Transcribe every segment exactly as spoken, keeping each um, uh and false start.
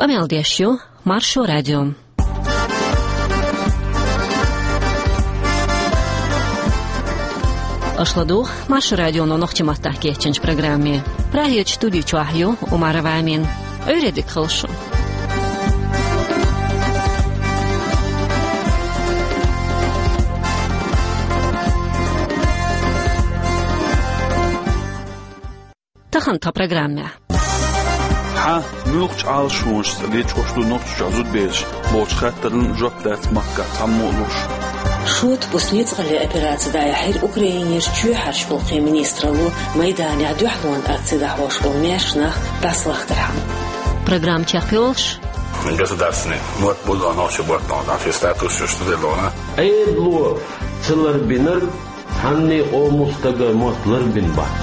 Къамел деш ю Маршо радио. Аша ладугӀу Маршо радионо нохчийн маттахь кечйинчу программе. Прагерчу студи чохь ю Умарова Амина. Ӏуьйре дика хуьлда шун. Тахана тхан программехь. Хьан муьлххачу Ӏалашонашца лечкъош ду Нохчийчохь зудабераш бохучу хаттарна жоп дац махкахь цхьаммо а луш. Шота буса ницкъаллин операци дӀаяьхьира Украинерчу чоьхьарчу гӀуллакхийн министралло, майданехь дуьхьалонан акци дӀахьош болу маьрша нах дӀасалахкархьама. Программа чекхйолуш. Государственный мотт бу дона, нохчийн мотт бу дона, статус ю студент дона. Ӏедало ца ларбинарг цхьанне къоман стага мотт ларбина бац.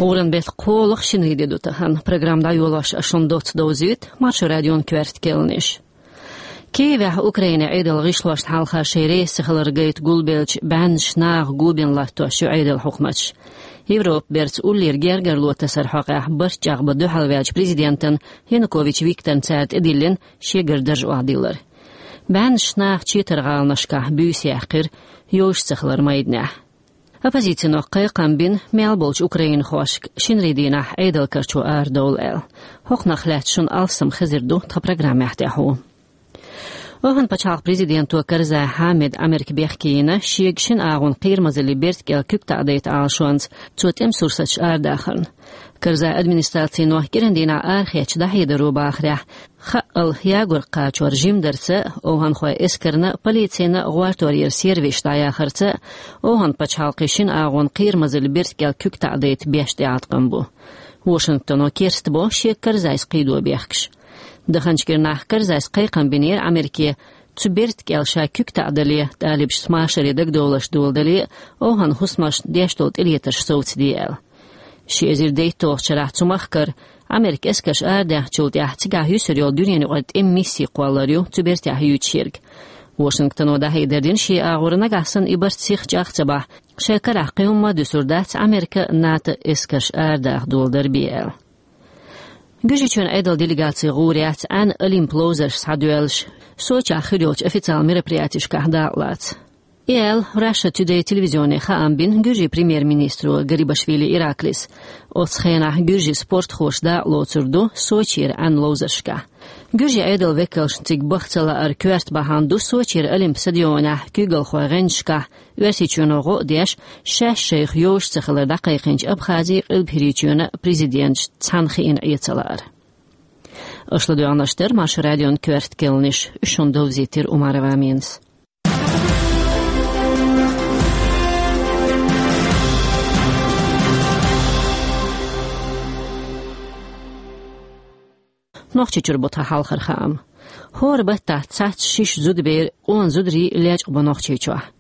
ГӀуран беттан кхоалгӀа шинарин де ду тахана. Программа дӀайолош ас шуна доцца довзуьйту Маршо радион коьрта керланаш. Киевехь Украинан Ӏедалан гӀишлошна хьалха шайн реза ца хилар гайта гулбеллачу бӀеннаш наха го бина латтош ю Ӏедалан хьукматаш. Европа берца уллера гергарло тасаран хьокъехь барт чӀагӀбан дуьхьалваьллачу президентана Янукович Викторна цара тӀедиллина шегара дарж охьадиллар. БӀеннаш наха четар гӀаланашкахь буьйса яьккхира йовш ца хилар майданехь. Оппозицино кхайкхам бина мел болчу украинхошка шинарин дийнахь Ӏедал карчо арадовла аьлла. ХӀокхунах лаьцна шуна алссам хезар ду тхан программехь тӀехь ву. Ӏовханан пачхьалкхан президенто Карзай Хьамида Ӏамерка бехке йина, шега шина агӀонан кхерамазаллин берта кӀел куьг таӀадайта Ӏалашонца цо тӀеман сурсаташ арадахарна. Карзайн администрацино кӀиран дийнахь арахецначу дӀахьедаро бахарехь, хаъал ягор кхачор жимдарца, оханхойн эскарна, полицина гӀортор яра сервисаш дӀаяхарца, оханан пачхьалкхан шина агӀонан кхерамазаллин берта кӀел куьг таӀадайта беш тӀеӀаткъам бу. Вашингтоно керстбо шега Карзайс кхийдо бехкаш. Даханчу кӀирнахь Карзайс кхайкхам бинера Ӏамерке, цу берта кӀел ша куьг таӀадале, тӀалибашца машаре дагадовларш доладале, оханан хӀусамашна деш долу тӀелетарш совцаде аьлла. Ши эзар дейтталгӀачу шарахь цу махкара Ӏамеркан эскарш арадаьхначул тӀаьхьа цигахь юьсур йолу дуьненаюкъара тӀеман мисси кхоллар ю цу бертехь юьйцуш ерг. Вашингтоно дӀахьедар дина шен агӀор, нагахь санна и барт сиха чӀагӀ ца бахь, шайн карахь кхин хӀумма а дуьсур дац Ӏамеркан, НАТО эскарш арадаха доладар бен аьлла. Гуьржийчоьнан Ӏедалан делегаци гӀур яц Ӏаьнан олимпийн ловзарш схьадоьллуш, Сочехь хир йолчу официалан мероприятешкахь дакъалаца. И аьлла Russia Today телевизионе хаам бина Гуьржийн премьер-министро Гарибашвили Ираклис. Оцу хенахь гуьржийн спортхоша дакъалоцур ду Сочера Ӏаьнан ловзаршкахь. Гуьржийн Ӏедалан векалшна цига баха ца лаар коьрта бахьана ду Сочера олимпийн стадионехь куьйгалхойн гӀанташкахь Оьрсийчоьно гӀо а деш, шаьш шайх йовш ца хилар дӀакхайкхийначу Абхази Къилбахьрийчоьнан президенташ цхьаьна хиъна Ӏен ца лаар. Аша ладоьгӀнарш дара Маршо радион коьрта керланаш, уьш шуна довзийтира Умарова Аминас. Нохчийчуьра бу тхан хьалхара хаам. ХӀора баттахь цхьацца шишша зудабер, къона зударий лечкъабо Нохчийчохь.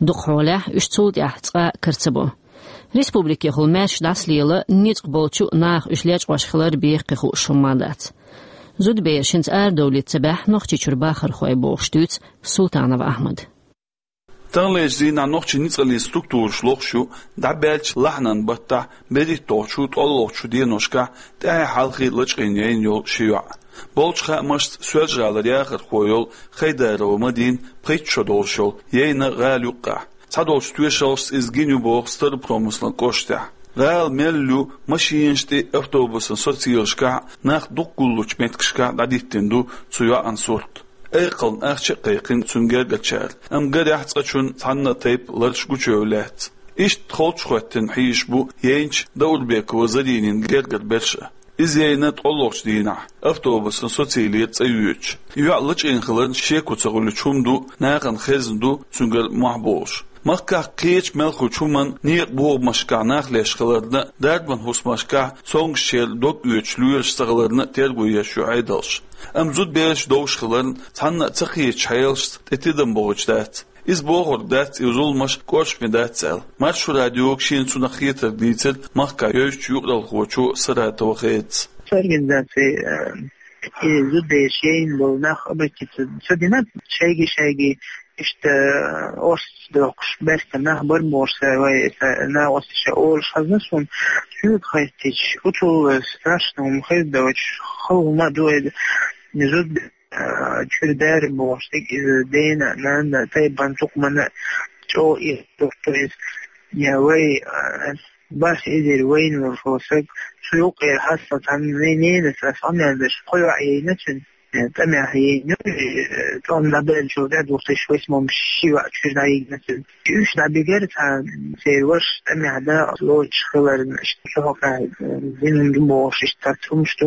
Дукха хьолехь уьш цул тӀаьхьа цкъа а кара ца бо. Республикехула маьрша дӀасалела, ницкъ болчу наха уьш лечкъош хилар бен кхин хууш хӀумма а дац. Зудабер шинца арадовлийта ца баьхьа Нохчийчуьра бахархой бохуш дуьйцу Султанов Ахьмада. Таханлерчу дийнахь нохчийн ницкъаллин структураш лохуш ю дӀабаьллачу лахьанан баттахь берхӀитталгӀачу, ткъолгӀачу деношкахь тӀаьхье хьалхе лачкъийна яйна йолу ши йоӀ. Болчу хаамашца, Соьлжа-ГӀалара яхархо йолу Хайдарова Мадина пхийтта шо долуш йолу яйна гӀала юккъехь. Цхьадолчу тоьшаллашца иза гина ю боху Старопромыслан кӀоштахь. ГӀала мел ю, машинаш тӀе, автобусан социйлашкахь, нах дукха гуллучу меттигашкахь дӀадиттина ду цу йоӀан сурт. Айкхална ахча а кхайкхина цуьнан гергарчара, амма гарехь цкъачунна цхьанна а тайпа ларш гучуевлла лаьцна. Иштта холчухӀоьттина хьийзаш бу яйначу Даурбекова Заринин гергара берш а. Иза яйна ткъолгӀачу дийнахь автобусан социйлера цӀа йоьдуш. ЙоӀ лачкъийна хиларна шеко ца хуьлучу хӀума ду, нахана хезна ду цуьнгара мохь болуш. Махкахь кхечу мелхочу хӀуманна, некъан бохамашкахь нах леш хиларна, дарбан хӀусамашкахь цомгушчеран дог оьцуш лоьраш ца хиларна терго еш ю Ӏедалш. Амма зудабераш довш хиларна, цхьанна а ца кхетачу хьелашца тӀе тидам бохуьйтуш дац. Иза бохург дац и зуламаш кӀоршаме дац аьлла. Маршо радиога шена цунах хетарг дийцира махкахь йовзачу юкъаралхочо Саратова Хедас. Организаци, э, и зудабераш яйна болу нах обратиться ца дина, шайги-шайги иштта, э, орц доккхуш, баьрса нах бара бохуш, са вай, са накъосташа олуш хезна суна. Чуьра хеттича, уцул страшно хӀума хир доцуш, хала хӀума а ду эда, зуда, а, чуьра бер бохуш дерг иза дена, нанна, тайпана, цукъа мана чӀогӀа ирс дохуьйту иза. Я вай, а, бархӀ эзар вайна волуш волу стаг, цу юккъера хьастал цхьана вайн ненас ас къамел деш, кхо йоӀ яйна цуьнан. Э, тӀамехь яйна ю, э, тӀом дӀабеллачул тӀаьхьа две тысячи восьмом ши йоӀ чуьра дӀайигна цуьнан. Уьш дӀабигара цхьа церан ваша тӀамехь дакъа лоцуш хиларна, иштта цу хьокъехь, э, дина ду бохуш, иштта цхьацца хӀумаш ду.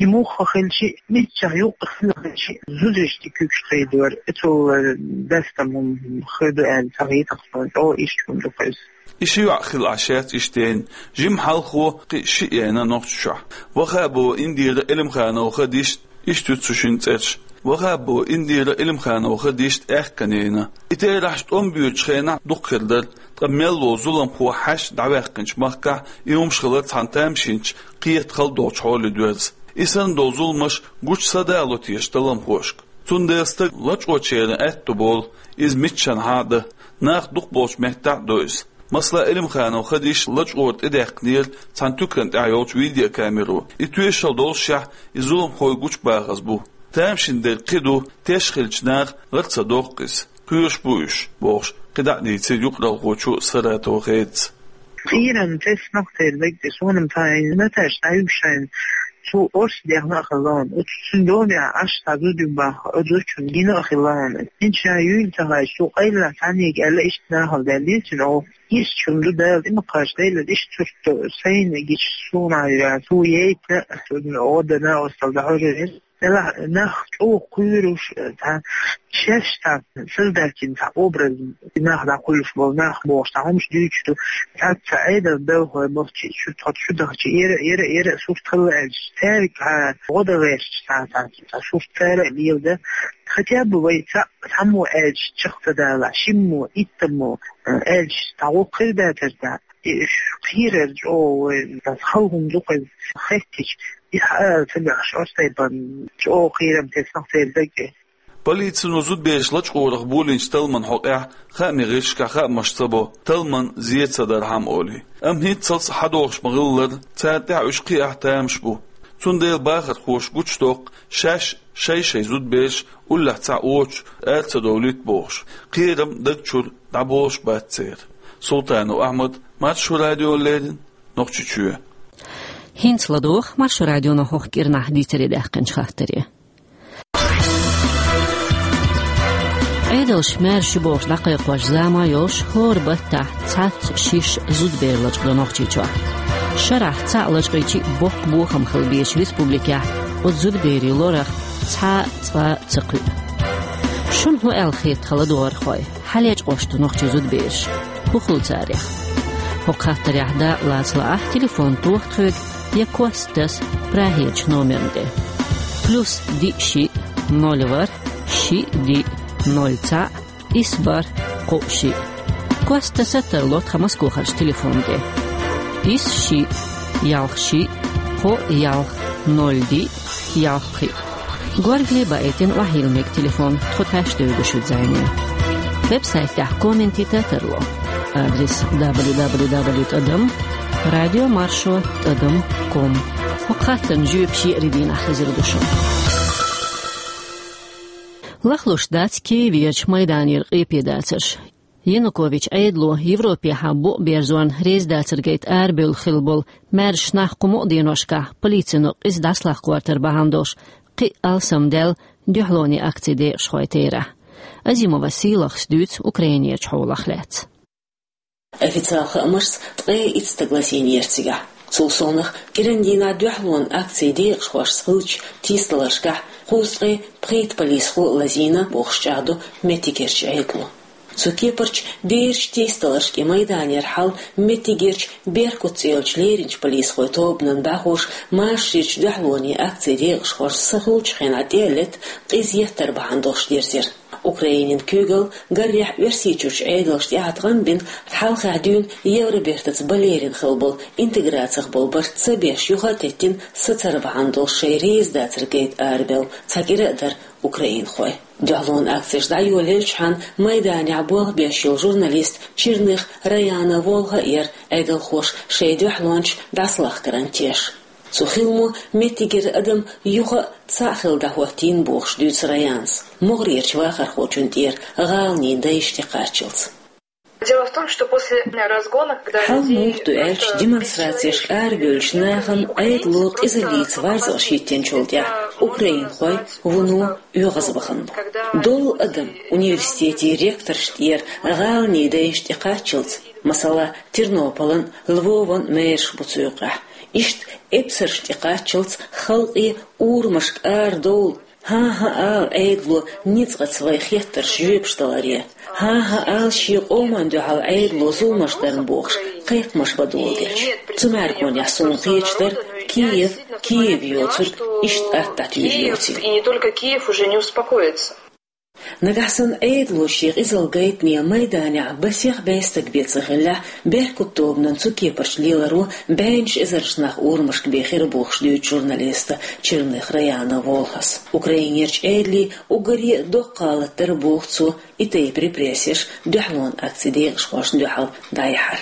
И муха хилча, миччахь юккъе хила хилча, зударшна куьйгаш кхийдора, оцул, э, дастам хӀума хир ду аьлла ца хетара, чӀогӀа иштта хӀума ду-кх иза. И ши йоӀ хилла Ӏаш яц иштта яйна. Жимма хьалхо кхин шиъ яйна Нохчийчохь. Вахапова Индира Элимханова Хадишта иштта ю цу шинна цӀераш. Вахапова Индира Элимханова Хадишта аьхкан яйна. И терахьаш тӀом боьдучу хенахь дукха хир дара, ткъа мел волу зуламхо хьаьшна дӀаваьккхинчу махкахь и хӀумаш хилар цхьана тамашийначу кхета хала долчу хьоле доьрзу. И санна долу зуламаш гучу са дало теша талламхошка. Цундела стаг лачкъочеран аьтто болу, иза миччанхьа а дан, нах дукха болчу меттехь а до иза. Масала, Элимханова Хадиша лачкъора тӀедаьккхинера цхьана туькана тӀехь йолчу видеокамеро. И тоьшалла доллушехь, и зуламхой гучубахаза бу. Тамашийна дерг кхин ду, теш хилча наха гӀара ца доккху иза. Кхоьруш бу уьш, бохуш, кхидӀа а дийцира юкъаралхочо Саратова Хедас. Кхерам тесна церан дагчу, суна-м цхьа Наташа дӀаюьгу шайна, цо орца дехна а хилла хьуна, оцу цуьнан домехь Ӏаш цхьа зуда ю боху, оцу зудчунна гина а хилла хьуна. ХӀинца ша юйла ца хилча, цо къайлах цхьаьннега аьлла, иштта нахала даьллера цуьнан оха. Иштта хӀума ду, Дала тӀе ма кхаччалда, иштта сурт ду, сайна гича суна а йира, цо яйта, оха дана а, оццул дӀахьожур яра. Делахь нах чӀогӀа кхоьруш, цхьа шаьш цхьа создательный цхьа образ, нах дӀакхуьллуш болу нах бохуш цхьа хӀумаш дуьйцуш ду. Цхьацца Ӏедалан белхалой бохчи, шу тхо шу дахчи, эра, эра, эра, сурт хилла аьлча, цаьрга хьан гӀо дан гӀерташ цхьа, цхьа, цхьа сурт цара а леладан. Хотя бы вай цхьаъ, цхьаммо аьлча чекх ца далахь, шиммо, иттаммо, э, аьлча, цхьа гӀуллакх хир дацара цхьа. И уьш кхерар чӀогӀа вай, хала хӀума ду-кх иза, хеттича, и хьаала ца бехаш, оцу тайпана чӀогӀа кхерам тесна-кх церан дагчу. Полицино зудабераш лачкъорах болийначу талламан хьокъехь хаамийн гӀирсашкахь хаамаш ца бо, талламан зен ца дархьама олий. Амма хӀинццалц схьадогӀуш ма-хиллара, царна тӀехь уьш кхиахь тамаш бу. Цундела бахархоша гучудоккху, шаьш шай-шай зудабераш уллехь цхьаъ воцуш ара ца довлийта бохуш, кхерам даг чуьра дӀаболуш бац церан. Султанов Ахьмад, Маршо радиона леррина, Нохчийчоь. ХӀинца ладогӀа Маршо радионо хӀокху кӀирнахь дийцаре даьккхинчу хаттаре. Ӏедалша маьрша ю бохуш дӀакхайкхош зама йолуш, хӀора баттахь цхьацца шишша зудабер лачкъадо Нохчийчохь. Шарахь цхьаъ лачкъийча а боккха бохам хила безачу республикехь оцу зудаберийн лорах цхьа а цкъа а ца кхуьу. Шуна хӀун аьлла хета, ладогӀархой? Хьан лечкъош ду нохчийн зудабераш? ХӀун хуьлу царех? ХӀокху хаттарехь дакъа лаца лаахь, телефон тоха тхоьга я кост таса Прагерчу номерна тӀе. Плюс диъ шиъ, ноль ворхӀ, шиъ диъ, ноль цхьаъ, исс бархӀ, кхоъ шиъ. Кост таса тарло тхан Москохарчу телефонна тӀе. Исс шиъ, ялх шиъ, кхоъ ялх, ноль диъ, ялх пхиъ. Горгали баийтина охьайилла мега телефон, тхо тхаьш девгаш ю зайнин. Веб-сайтехь комментита тарло. Адрес: дабл ю дабл ю дабл ю тӀадам радио маршо тӀадам ком. ХӀокху хаттарна жоьпаш еарин дийнахь хезар ду шуна. Лахлуш дац Киевера Майданера къепе дацарш. Янукович Ӏедало Европехьа букъ берзорна реза дацар гайта арабевлла хилла болу маьрша нах кху мукъа деношкахь полицино къиза дӀасалахкхортар бахьана долуш кхин а алсамдаьлла дуьхьалонийн акцийн декъашхой терахь. Азимова Сийлахас дуьйцу Украинерчу хьолах лаьцна. Официалан хаамашца, ткъе итт стаг лазийнера цигахь. Цул совнаха, кӀиран дийнахь дуьхьалонан акцийн декъашхошца хиллачу тийсадаларшкахь кхузткъе пхийтта полисхо лазийна бохуш чӀагӀдо меттигерчу Ӏедало. Цу кепарчу бераш тийсадаларш и Майданера хьал меттигерчу Беркут цӀе йолчу леринчу полисхойн тобанан бӀаьхоша машаречу дуьхьалонийн акцийн декъашхошца са хуьлучу хенахь тӀе а летта къиза еттар бахьана долуш дерзира. Украинин куьйгалла, гарехь, Оьрсийчуьрчу Ӏедалшна тӀаьхьа тӀе гӀан бина, хьалхахь дуьйна Евробертаца балерина хилла болу интеграцих болу барт ца беш юха а теттина сацар бахьана долуш шайн реза дацар гайта арабевлла цхьа кӀира а дара Украинхой. Дуьхьалонан акцеш дӀайолаелча хана майданехь болх беш йолу журналист Черных Раяна волха а яра Ӏедалхоша шайн дуьхьалончаш дӀасалахкарна теш. Цу хиламо меттигера адам юха а цхьаъ хилла дӀахӀоттийна бохуш дуьйцу Раянас, могӀарерчу вахархочунна тӀера гӀаланийн дайша тӀекхаччалц. Дело в том, что после разгона, когда Хьал муха ду аьлча, демонстрацешка арабевллачу нахана Ӏедало къизаллица варзалш хӀиттинчул тӀаьхьа украинхой вуно оьгӀазвахана бу. Долу адам университетийн ректоршна тӀера гӀаланийн дайша тӀекхаччалц, масала, Тернополан, Львован мэраш бу цу юкъахь. Иштта эпсаршна тӀекхаччалц халкъе урамашка арадовла, хӀан-хӀа ала Ӏедало ницкъаца вай хеттарш жоьпаш даларе. ХӀан-хӀа ала шен къоман дуьхьал Ӏедало зуламаш дарна бохуш, кхайкхамаш бан доладелча. Цу мӀаьргонехь суна кхеташ дара Киев, Киев йоцург иштта атта дӀатуьйжу йоцийла. И не только Киев уже не успокоится. Нагахь санна Ӏедало шен къизалла гайтане майданехь масех бӀе стаг бен ца хиллехь, «Беркут» тобанан цу кепарчу леларо бӀеннаш эзарш нах урамашка бен хир бу бохуш дуьйцу журналиста Черных Раяна волхас. Украинерчу Ӏедалийн уггаре а доккха гӀалат дара боху цо и тайпа репрессеш дуьхьалонан акцийн декъашхошна дуьхьал дӀаяхьар.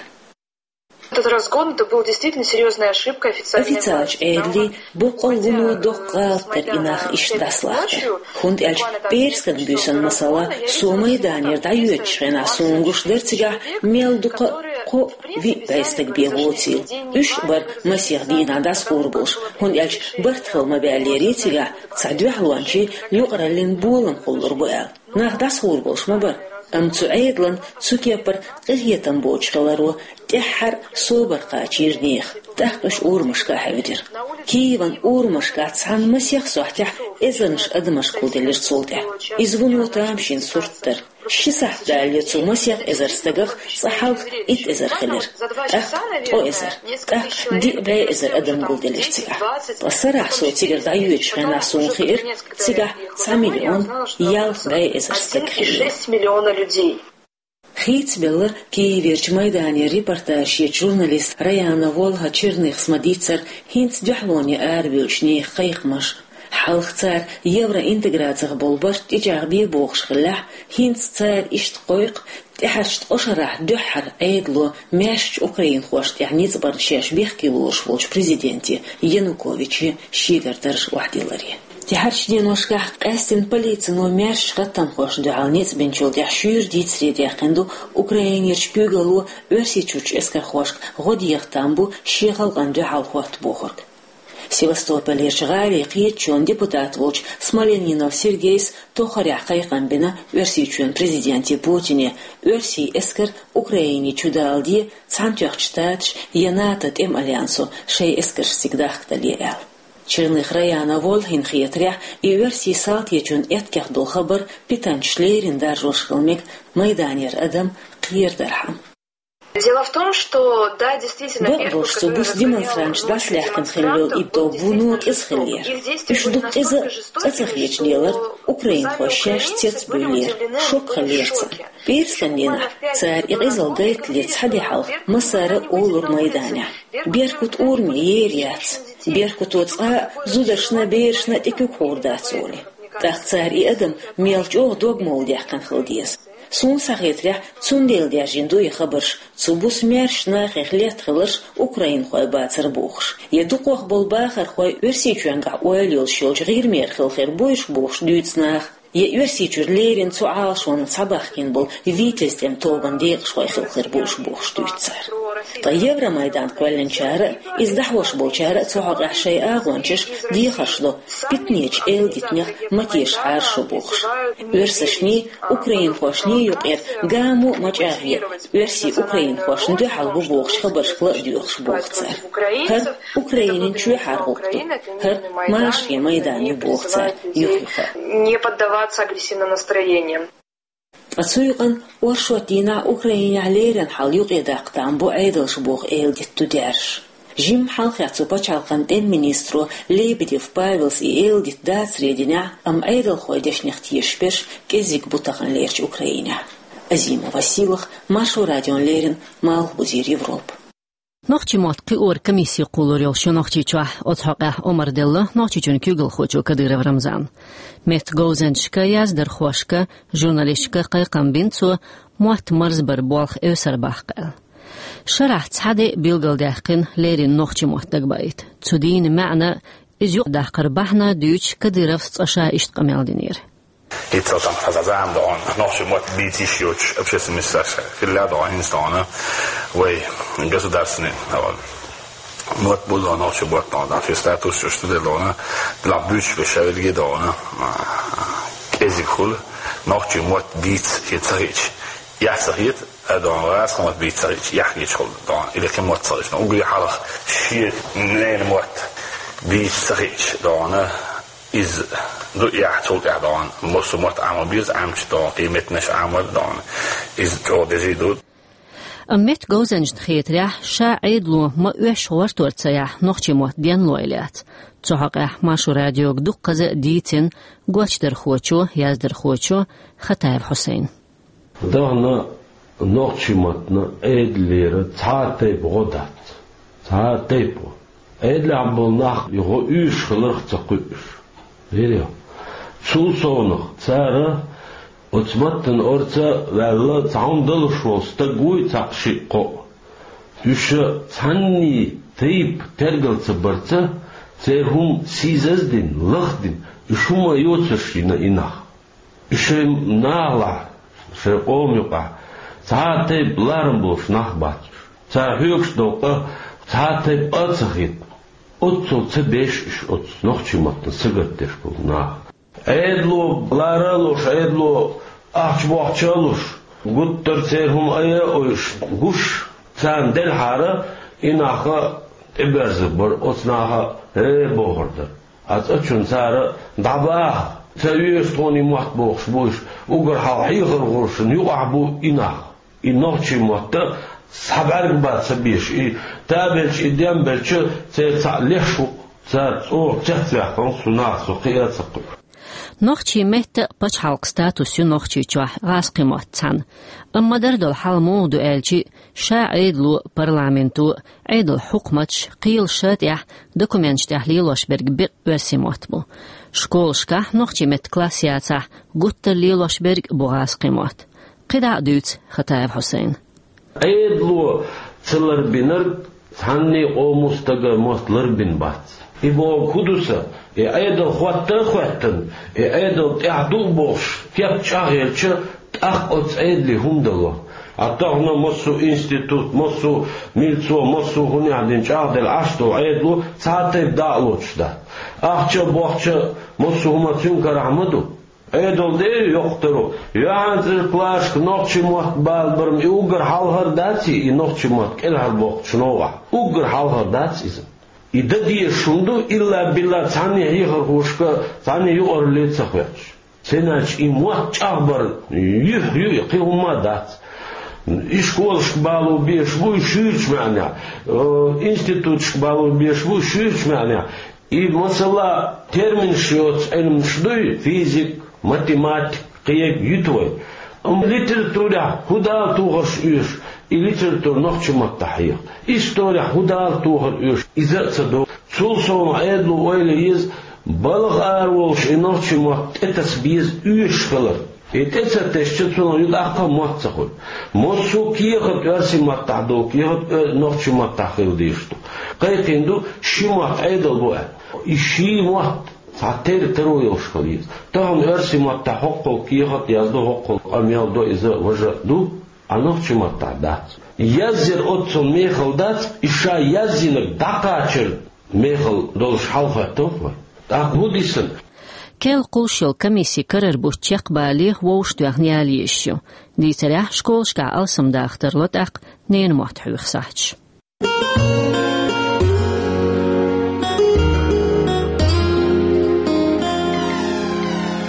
Этот разгон, это был действительно серьёзная ошибка официальной власти. Официалчу Ӏедалийн боккъал вуно доккха гӀалат дара и нах иштта дӀасалахкар. ХӀунда аьлча пӀераскан буьйсанна, масала, со майданера дӀайоьдучу хенахь суна гуш дара цигахь мел дукха а, кхо а, виъ бӀе стаг бен воцийла. Уьш а бара масех дийнахь дӀасахур болуш, хӀунда аьлча барт хила ма баьллера цигахь, цхьа дуьхьалончийн юкъараллин болам хуллур бу аьлла. Нах дӀасахур болуш ма бара, амма цу Ӏедалан цу кепара къинхетам боцуш хиларо тӀаьххьара собар кхачийра нехан, тӀаккха уьш урамашка а хьаьвдира. Киеван урамашкахь цхьана масех сохьтехь эзарнаш адамаш гулделира цул тӀаьхьа. Иза вуно тамашийна сурт дара. Ши сахьт далале цу масех эзар стагах цкъа хьалха итт эзар хилира, тӀаккха ткъо эзар, тӀаккха диъ бӀе эзар адам гулделира цигахь. Ткъа сарахь со цигара дӀайоьдучу хенахь суна хиира, цигахь цхьа миллион ялх бӀе эзар стаг хилла. Хийцабелла Киеверчу майданера репортаж ечу журналиста Раяна волха Черныхас ма-дийццара хӀинца дуьхьалоне арабевллачу нехан кхайкхамаш. Хьалха цара евроинтеграцих болу барт тӀечӀагӀбе бохуш хиллехь, хӀинца цара иштта кхойкху, тӀаьхьарчу ткъа шарахь дуьххьара Ӏедало маьршачу украинхошна тӀехь ницкъ барна шаьш бехке лоруш волчу президенте Януковиче шегара дарж охьадилларе. ТӀаьхьарчу деношкахь къаьсттина полицино маьршачу хаттамхошна дуьхьал ницкъ бинчул тӀаьхьа шуьйра дийцаре даьккхина ду Украинерчу куьйгалло Оьрсийчуьрчу эскархошка гӀо деха там бу шен халкъана дуьхьал хӀотта бохург. Севастополерчу гӀалин кхеташонан депутат волчу Смоленинов Сергейс тоххарехь кхайкхам бина Оьрсийчоьнан президенте Путине, оьрсийн эскар Украине чу даладе Цхьаьнатоьхначу Штаташ я НАТО тӀеман альянсо шайн эскарш цига дахкадале аьлла. Черных Раяна волхин хетарехь, и оьрсийн салтечун эткех долу хабар питанчаш леррина даржош хила мега майданера адам кхерадархьама. Дело в том, что, да, действительно, Бакъдолуш цу буса демонстранташ дӀасалаьхкина хилла йолу и тоба вуно кӀеза хиллера. Уьш дукха къиза а, цкъа ца хеташ лелара украинхой шаьш цецбуьйллера, шок хиллера царна. ПӀераскан дийнахь цара и къизалла гайтале цхьа де хьалха массара а олура майданехь: «Беркут урамехь ер яц, Беркуто цкъа а зударшна, берашна тӀе куьг хьур дац», — олий. ТӀаккха цара и адам мел чӀогӀа догмалла даьккхина хила деза. Суна схьахетарехь, цундела даьржина ду и хабарш, цу буса маьршачу нахех летта хиларш украинхой бацара бохуш. Я дукхах болу бахархой Оьрсийчоьнгахь ойла йолуш йолчу ГӀирмера хила хир бу уьш бохуш дуьйцу наха, я Оьрсийчуьра леррина цу Ӏалашонан схьабахкийна болу «Витязь» тӀеман тобанан декъашхой хила хир бу уьш бохуш дуьйцу цара. Ткъа Евромайдан кхоьллинчара а, иза дӀахьош болчара а цу хьокъехь шайн агӀончаш дехарш до, питанечу эладитанех ма тешахьара шу бохуш. Оьрсашний, украинхошний юкъера гамо а ма чӀагӀъе, оьрсий украинхошна дуьхьал бу бохучу хабаршка ла а доьхуш боху цара. ХӀара Украинин чоьхьара гӀуллакх ду, хӀара машарийн майдан ю боху цара юх-юха. Не поддаваться агрессивным настроениям. Ткъа цу юкъана оршот дийнахь Украинехь леррина хьал юкъедаккха там бу Ӏедалша боху эладита ду даьржаш. Жимма хьалххе цу пачхьалкхан тӀеман министро Лебедев Павелс и эладита дацаре динехь, амма Ӏедалхойн дешнех тешаш берш кӀеззиг бу таханлерчу Украинехь. Азима Василах, Маршо радиона леррина, Малхбузера Европа. Нохчийн мотт кхиоран комисси кхоллар йолуш ю Нохчийчохь, оцу хьокъехь омра делла Нохчийчоьнан куьйгалхочо Кадыров Рамзана. Меттан говзанчашка, яздархошка, журналисташка кхайкхам бина цо, мотт марзбаран болх эвсара баккха аьлла. Шарахь цхьа де билгалдаьккхина, леррина нохчийн мотт дагабайта. Цу дийнан маьӀна, иза юкъадаккхаран бахьана дуьйцуш, Кадыровс цкъа ша иштта къамел динера. Иццал там хаза зама догӀун, нохчийн мотт бийца йиш йоцуш общественный саша хилла догӀун, хӀинца догӀун, вай государственный, догӀун, мотт бу догӀун, нохчийн мотт догӀун, там шен статус йолуш студент догӀун, дила буьйцуш беш шавилги догӀун, кӀезиг хуьлу, нохчийн мотт бийца хи ца хиъча, яхь ца хета, а догӀун, гӀазкхийн мотт бийца ца хиъча, яхь хиъча хуьлу догӀун, или кхин мотт ца хиъча, уггаре хьалха шен ненан мотт бийца ца хиъча догӀун, иза ду яхь, цул тӀаьхьа догӀун, массо а мотт Ӏамор беза, Ӏамча догӀун, и меттанаш Ӏамор догӀун, иза чӀогӀа дезий ду. Амма меттан говзанчашна хетарехь, ша Ӏедало ма-оьшшу гӀортор ца яхь, нохчийн мотт денлой лаьцна. Цу хьокъехь Маршо радиога дуккхаза а дийцина гочдархочо, яздархочо Хатаев Хьусайна. Тахана нохчийн маттана Ӏедалера цхьа а тайпа гӀо дац. Цхьа а тайпа гӀо. Ӏедалехь болу нах и гӀо оьшуш хиларх а ца кхуьуш. Вирю. Цул совнах цара оцу маттана орца а ваьлла, цхьа хӀума далуш волу стаг вуй цхьаъ-шиъ-кхоъ. Уьш цхьанний тайпа тергал ца барца, церан хӀума сийсаздина, лахдина, уьш хӀума йоцурш йина и нах. Уьш шайн нахалахь, шайн къоман юкъахь цхьа а тайпа ларам болуш нах бац уьш. Цара хьоьгуш долу къа цхьа а тайпа а ца хета. Оццул ца беш уьш оцу нохчийн маттана сагатдеш болу нах. Ӏедало лара а луш, Ӏедало ахча-бохча а луш, гуттар а церан хӀума айа а ойуш гуш, царна делхьара, и нах а тӀеберзар бара, оцу наха а «хӀе» бохур дара. Ткъа цкъачунна цара: «ДӀабаха, ца оьшу тхуна и мотт», — бохуш бу уьш, уггар хьалха хьехархошна юкъахь бу и нах. И нохчийн мотт а схьа бӀаьрг бан ца безаш, и табелча, и дем белча, церан цхьаъ леш ву-кх, цара чӀогӀа цецваьккхина цу наха, со кхиа а ца кхуьу. Нохчийн меттан а, пачхьалкхан статус ю Нохчийчохь гӀазкхийн мотт цхьаьна. Амма ма-дарра долу хьал муха ду аьлча, ша Ӏедало а, парламенто а, Ӏедалан хьукматаш а кхелан ша тӀехь, документаш тӀехь лелош берг беккъа оьрсийн мотт бу. Школашкахь нохчийн меттан класс яцахь, гуттар а лелош берг а бу гӀазкхийн мотт. КхидӀа а дуьйцу Хатаев Хьусайна. Ӏедало ца ларбинарг цхьанний къоман стага мотт ларбина бац. И бохург хӀун ду сан? И Ӏедал хӀотта а хӀоьттина, и Ӏедал тӀаьхьа ду а бохуш, кеп чӀагӀъелча, тӀаккха оцу Ӏедале хӀума дало. Ткъа тахана массо а институт, массо а милцо, массо а хӀунех дина чӀагӀделла Ӏаш долу Ӏедало цхьа а тайпа дӀа а лоцуш дац. Ахча а, бохча а, массо а хӀума цуьнан карахь ма ду. Ӏедал дера йоккхуш даро, юьхьанцӀерачу классашка нохчийн мотт бала бар-м, и уггар хьалхара дац и, и нохчийн мотт кӀелхьарбоккхучу новкъахь? Уггар хьалхара дац иза. И дан дезаш хӀума ду, илла-билла цхьанний хьехархошка, цхьанний юкъаралле ца хоьттуш. Цундела и мотт чӀагӀбар юьхь ю, и кхин хӀумма а дац. И школашка бало безаш бу и шуьйрачу маьӀнехь, э, институташка бало безаш бу и шуьйрачу маьӀнехь. И масала терминаш йоцу Ӏилманаш дуй, физик, математик, кхин юьту вай. Амма литературехь хӀун Дала тохарш оьшу, и литература нохчийн маттахь хьеха. Исторехь хӀун Дала тохар оьшу, иза а ца до. Цул совнаха Ӏедало ойла еза, балха ара волуш и нохчийн мотт тӀетаса беза оьшуш хилар. И тӀе ца тесча, цунах юкъахь а мотт ца хуьлу. Массо а кехат оьрсийн маттахь ду, кехат э, нохчийн маттахь хила дезаш ду. Кхайкхийна ду, ши мотт Ӏедал бу аьлла. И ши мотт цхьа тера таро йолуш хила еза. Тахана оьрсийн маттахь хӀоккхул кехат а яздо, хӀоккхул къамел а до, иза важа а ду, а нохчийн маттахь дац. Язъяр оццул мехала дац, и ша язйинарг дӀакхачар мехала долуш хьалахӀоьттина вай. ТӀаккха хӀун ди сан? Керла кхуллуш йолу комисси карара бутт чекхбале, вовшахтоьхна яла езаш ю. Дийцарехь, школашкахь алсамдаха тарло тӀаккха ненан мотт хьоьху сахьташ.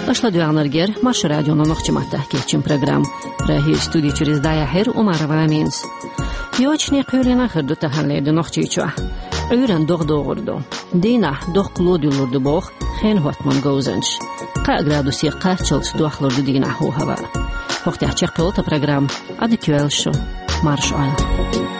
Аша ладоьгӀнарг яра Маршо радион нохчийн маттахь кечйина программа. Прагерчу студи чуьра иза дӀаяьхьира Умарова Аминас. Йочане кхоьлина хир ду таханлера ди Нохчийчохь. Ӏуьйранна догӀа догӀур ду. Дийнахь доккха ло дуьллур ду боху хенан хӀоттаман говзанчаша. Кхаа градусе кхаччалц дохлур ду дийнахь хӀу хӀаваъ. ХӀокху тӀехь чекхйолу тхан программа. Ӏадика йойла шу. Марша Ӏойла.